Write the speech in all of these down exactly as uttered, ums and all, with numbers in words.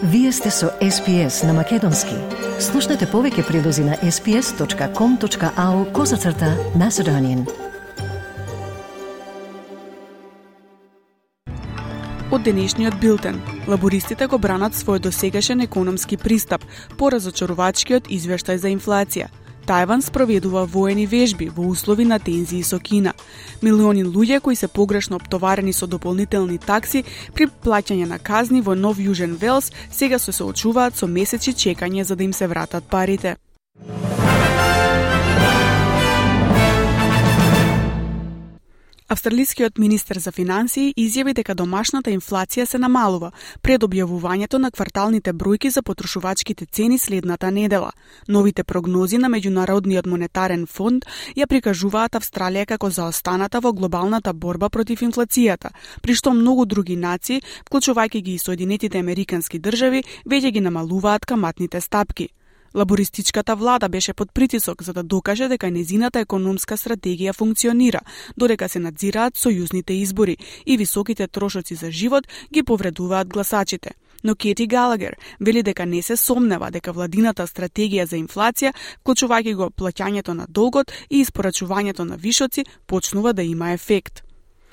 Вие сте со Ес Пи Ес на Македонски. Слушнете повеќе прилози на ес пи ес точка ком точка ау козацрта Macedonian. Од денешниот билтен, лабористите го бранат својот досегашен економски пристап по разочарувачкиот извештај за инфлација. Тајван спроведува воени вежби во услови на тензии со Кина. Милиони луѓе кои се погрешно оптоварени со дополнителни такси при плаќање на казни во Нов Јужен Велс сега се соочуваат со месеци чекање за да им се вратат парите. Австралискиот министер за финансии изјави дека домашната инфлација се намалува пред објавувањето на кварталните бројки за потрошувачките цени следната недела. Новите прогнози на Меѓународниот монетарен фонд ја прикажуваат Австралија како заостаната во глобалната борба против инфлацијата, при што многу други нации, вклучувајќи ги и Соединетите Американски држави, веќе ги намалуваат каматните стапки. Лабористичката влада беше под притисок за да докаже дека незината економска стратегија функционира, додека се надзираат сојузните избори и високите трошоци за живот ги повредуваат гласачите. Но Кети Галагер вели дека не се сомнева дека владината стратегија за инфлација, вклучувајќи го плаќањето на долгот и испорачувањето на вишоци, почнува да има ефект.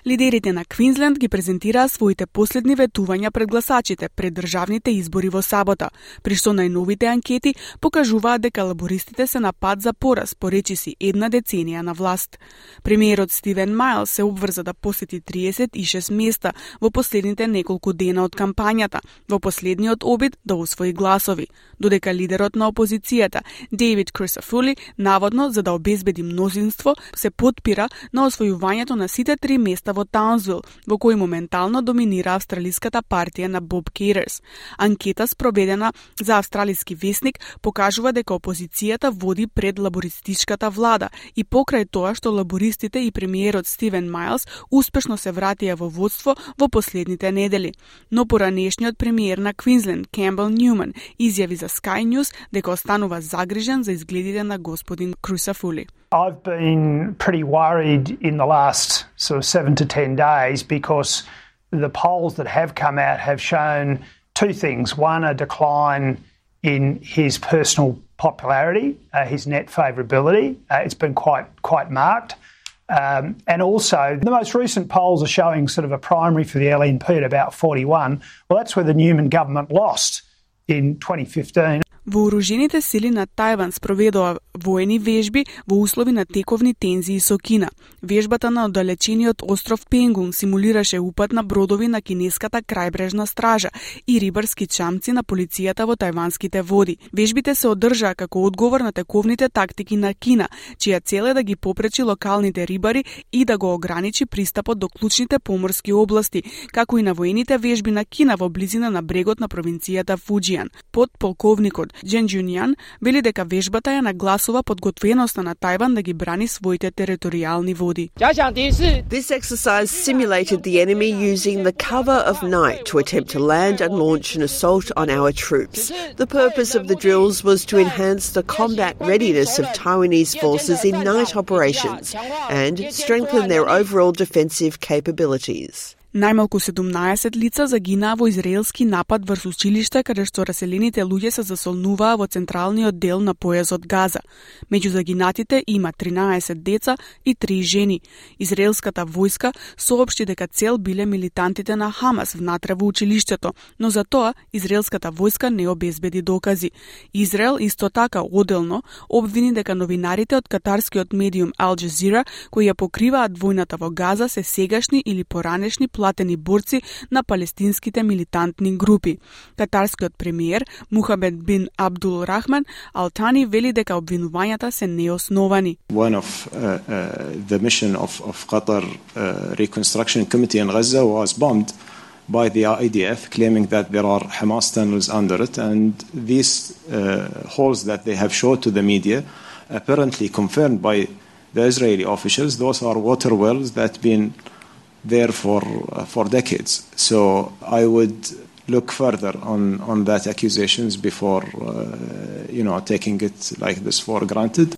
Лидерите на Квинсленд ги презентираа своите последни ветувања пред гласачите пред државните избори во сабота, при што најновите анкети покажуваат дека лабористите се на пат за пораз по речиси една деценија на власт. Премиерот Стивен Мајлс се обврза да посети триесет и шест места во последните неколку дена од кампањата, во последниот обид да освои гласови, додека лидерот на опозицијата Дейвид Крисафули, наводно за да обезбеди мнозинство, се потпира на освојувањето на сите три места во Таунсвил, во кој моментално доминира австралиската партија на Боб Кейтерс. Анкета спроведена за австралиски весник покажува дека опозицијата води пред лабористичката влада и покрај тоа што лабористите и премиерот Стивен Мајлс успешно се вратија во водство во последните недели. Но поранешниот премиер на Квинсленд, Кембел Нјуман, изјави за Sky News дека останува загрижен за изгледите на господин Крисафули. I've been pretty worried in the last sort of seven to ten days because the polls that have come out have shown two things. One, a decline in his personal popularity, uh, his net favourability. Uh, it's been quite quite marked. Um, and also, the most recent polls are showing sort of a primary for the L N P at about forty-one. Well, that's where the Newman government lost in twenty fifteen. Вооружените сили на Тајван спроведоа воени вежби во услови на тековни тензии со Кина. Вежбата на оддалечениот остров Пенгун симулираше упад на бродови на кинеската крајбрежна стража и рибарски чамци на полицијата во тајванските води. Вежбите се одржаа како одговор на тековните тактики на Кина, чија цел е да ги попречи локалните рибари и да го ограничи пристапот до клучните поморски области, како и на воените вежби на Кина во близина на брегот на провинцијата Фуџијан. Подполковникот Джен Джунијан вели дека вежбата ја нагласува подготвеноста на Тајван да ги брани своите територијални води. This exercise simulated the enemy using the cover of night to attempt to land and launch an assault on our troops. The purpose of the drills was to enhance the combat readiness of Taiwanese forces in night operations and strengthen their overall defensive capabilities. Најмалку седумнаесет лица загинаа во израелски напад врз училиште каде што раселените луѓе се засолнуваа во централниот дел на појасот Газа. Меѓу загинатите има тринаесет деца и три жени. Израелската војска соопшти дека цел биле милитантите на Хамас внатре во училиштето, но за тоа израелската војска не обезбеди докази. Израел исто така оделно обвини дека новинарите од катарскиот медиум Ал Джазира кои ја покриваат војната во Газа се сегашни или поранешни платени борци на палестинските милитантни групи. Катарскиот премиер Мухамед бин Абдул Рахман Ал Тани вели дека обвинувањата се неосновани. One of uh, uh, the mission of, of Qatar uh, Reconstruction Committee in Gaza was bombed by the I D F, claiming that there are Hamas tunnels under it, and these uh, holes that they have showed to the media, apparently confirmed by the Israeli officials, those are water wells that been there for uh, for decades. So I would look further on on that accusations before uh, you know taking it like this for granted.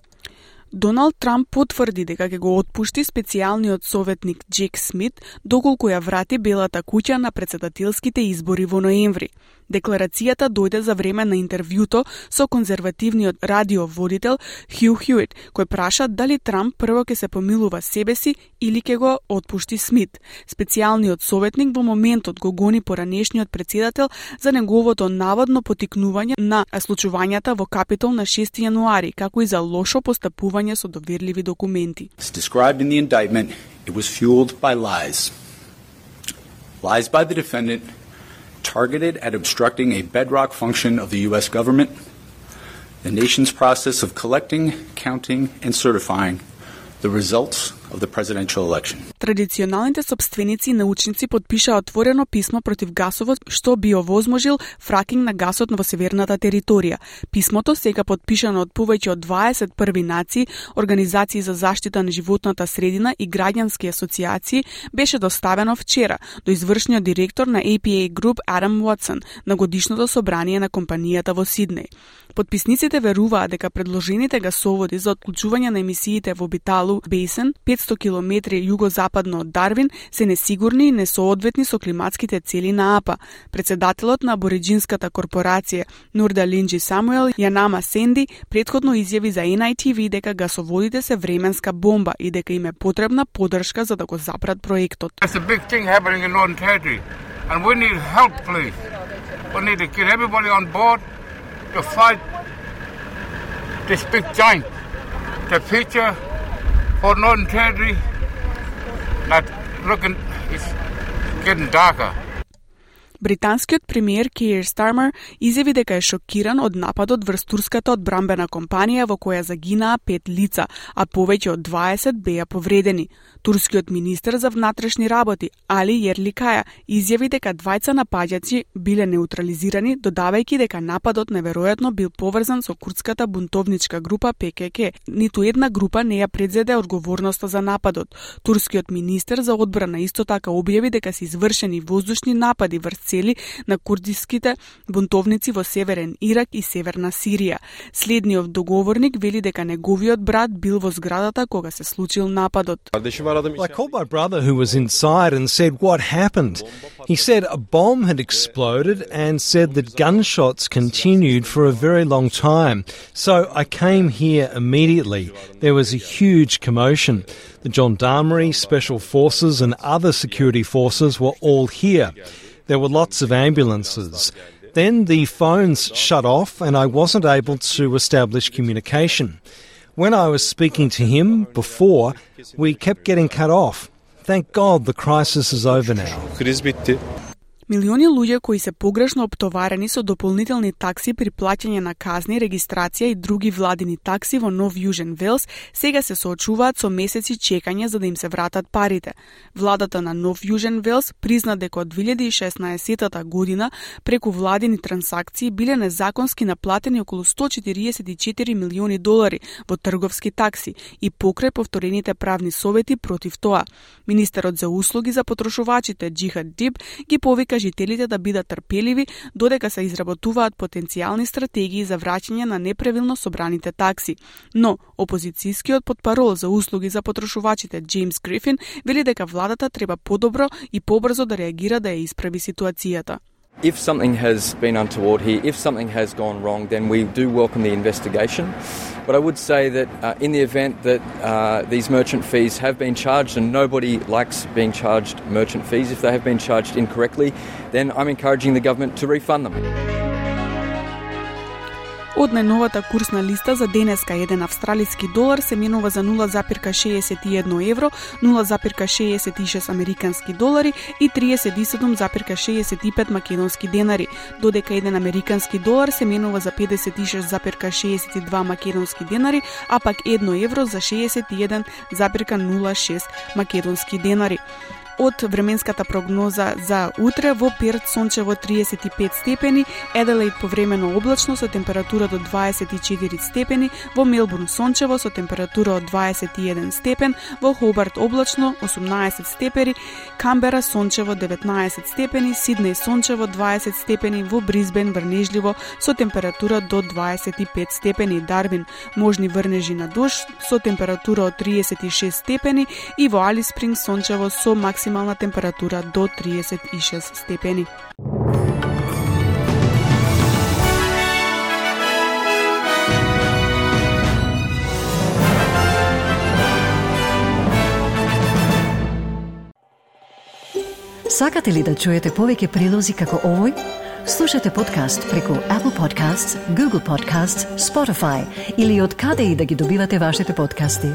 Доналд Трамп потврди дека ќе го отпушти специјалниот советник Джек Смит доколку ја врати Белата куќа на претседателските избори во ноември. Декларацијата дојде за време на интервјуто со конзервативниот радиоводител Хју Хјуит, кој праша дали Трамп прво ќе се помилува себе си или ќе го отпушти Смит. Специјалниот советник во моментот го гони поранешниот претседател за неговото наводно потикнување на случувањата во Капитол на шести јануари, како и за лошо постапување со доверливи документи. It's described in the indictment, it was fueled by lies. Lies by the defendant targeted at obstructing a bedrock function of the U S government, the nation's process of collecting, counting, and certifying the results of the presidential election. Традиционалните сопственици и научници потпишаа отворено писмо против гасовот што би овозможил фракинг на гасот во северната територија. Писмото, сега потпишано од повеќе од дваесет први нации, организации за заштита на животната средина и граѓански асоциации, беше доставено вчера до извршниот директор на А П А Group Адам Уотсон на годишното собрание на компанијата во Сиднеј. Потписниците веруваат дека предложените гасоводи за отклучување на емисиите во Биталу Бейсен, петсто километри југозападно од Дарвин, се несигурни и несоодветни со климатските цели на А П А. Председателот на абориџинската корпорација Нурда Линџи Самуел Јанама Сенди претходно изјави за Ен Ај Ти Ви дека гасоводите се временска бомба и дека им е потребна поддршка за да го запрат проектот. It's a big thing happening in Northern Territory and we need help, please. We need to get everybody on board to fight this big giant. The future for Northern Territory, not looking, it's getting darker. Британскиот премиер Кейр Стармер изјави дека е шокиран од нападот врз турската одбрамбена компанија во која загинаа пет лица, а повеќе од дваесет беа повредени. Турскиот министер за внатрешни работи Али Јерликаја изјави дека двајца напаѓачи биле неутрализирани, додавајќи дека нападот неверојатно бил поврзан со курдската бунтовничка група Пе Ке Ке. Ниту една група не ја предзеде одговорноста за нападот. Турскиот министер за одбрана исто така објави дека се извршени воздушни напади врз цели на курдиските бунтовници во Северен Ирак и Северна Сирија. Следниот договорник вели дека неговиот брат бил во зградата кога се случил нападот. I called my brother who was inside and said what happened. He said a bomb had exploded and said that gunshots continued for a very long time. So I came here immediately. There was a huge commotion. The gendarmerie, special forces and other security forces were all here. There were lots of ambulances. Then the phones shut off and I wasn't able to establish communication. When I was speaking to him before, we kept getting cut off. Thank God the crisis is over now. Милиони луѓе кои се погрешно оптоварени со дополнителни такси при плаќање на казни, регистрација и други владини такси во Нов Јужен Велс сега се соочуваат со месеци чекање за да им се вратат парите. Владата на Нов Јужен Велс призна дека од две илјади и шеснаесетта година преку владини трансакции биле незаконски наплатени околу сто четиридесет и четири милиони долари во трговски такси и покрај повторените правни совети против тоа. Министерот за услуги за потрошувачите Џихад Диб ги повика жителите да бидат трпеливи додека се изработуваат потенцијални стратегии за враќање на неправилно собраните такси. Но опозицијскиот потпарол за услуги за потрошувачите Джеймс Грифин вели дека владата треба подобро и побрзо да реагира да ја исправи ситуацијата. If something has been untoward here, if something has gone wrong, then we do welcome the investigation. But I would say that uh, in the event that uh, these merchant fees have been charged, and nobody likes being charged merchant fees, if they have been charged incorrectly, then I'm encouraging the government to refund them. Од најновата курсна листа за денеска еден австралиски долар се менува за нула запирка шеесет и едно евро, нула запирка шеесет и шест американски долари и триесет и седум запирка шеесет и пет македонски денари, додека еден американски долар се менува за педесет и шест запирка шеесет и два македонски денари, а пак едно евро за шеесет и еден запирка нула шест македонски денари. Од временската прогноза за утре во Перт сончево триесет и пет степени, Еделаид повремено облачно со температура до дваесет и четири степени, во Мелбурн сончево со температура од дваесет и еден степен, во Хобарт облачно осумнаесет степени, Камбера сончево деветнаесет степени, Сиднеј сончево дваесет степени, во Брисбен врнежливо со температура до дваесет и пет степени, Дарвин можни врнежи на дожд со температура од триесет и шест степени и во Алис Спрингс сончево со максимална температура до триесет и шест степени. Сакате ли да чуете повеќе прилози како овој? Слушате подкаст преку Apple Podcasts, Google Podcasts, Spotify или од каде и да ги добивате вашите подкасти.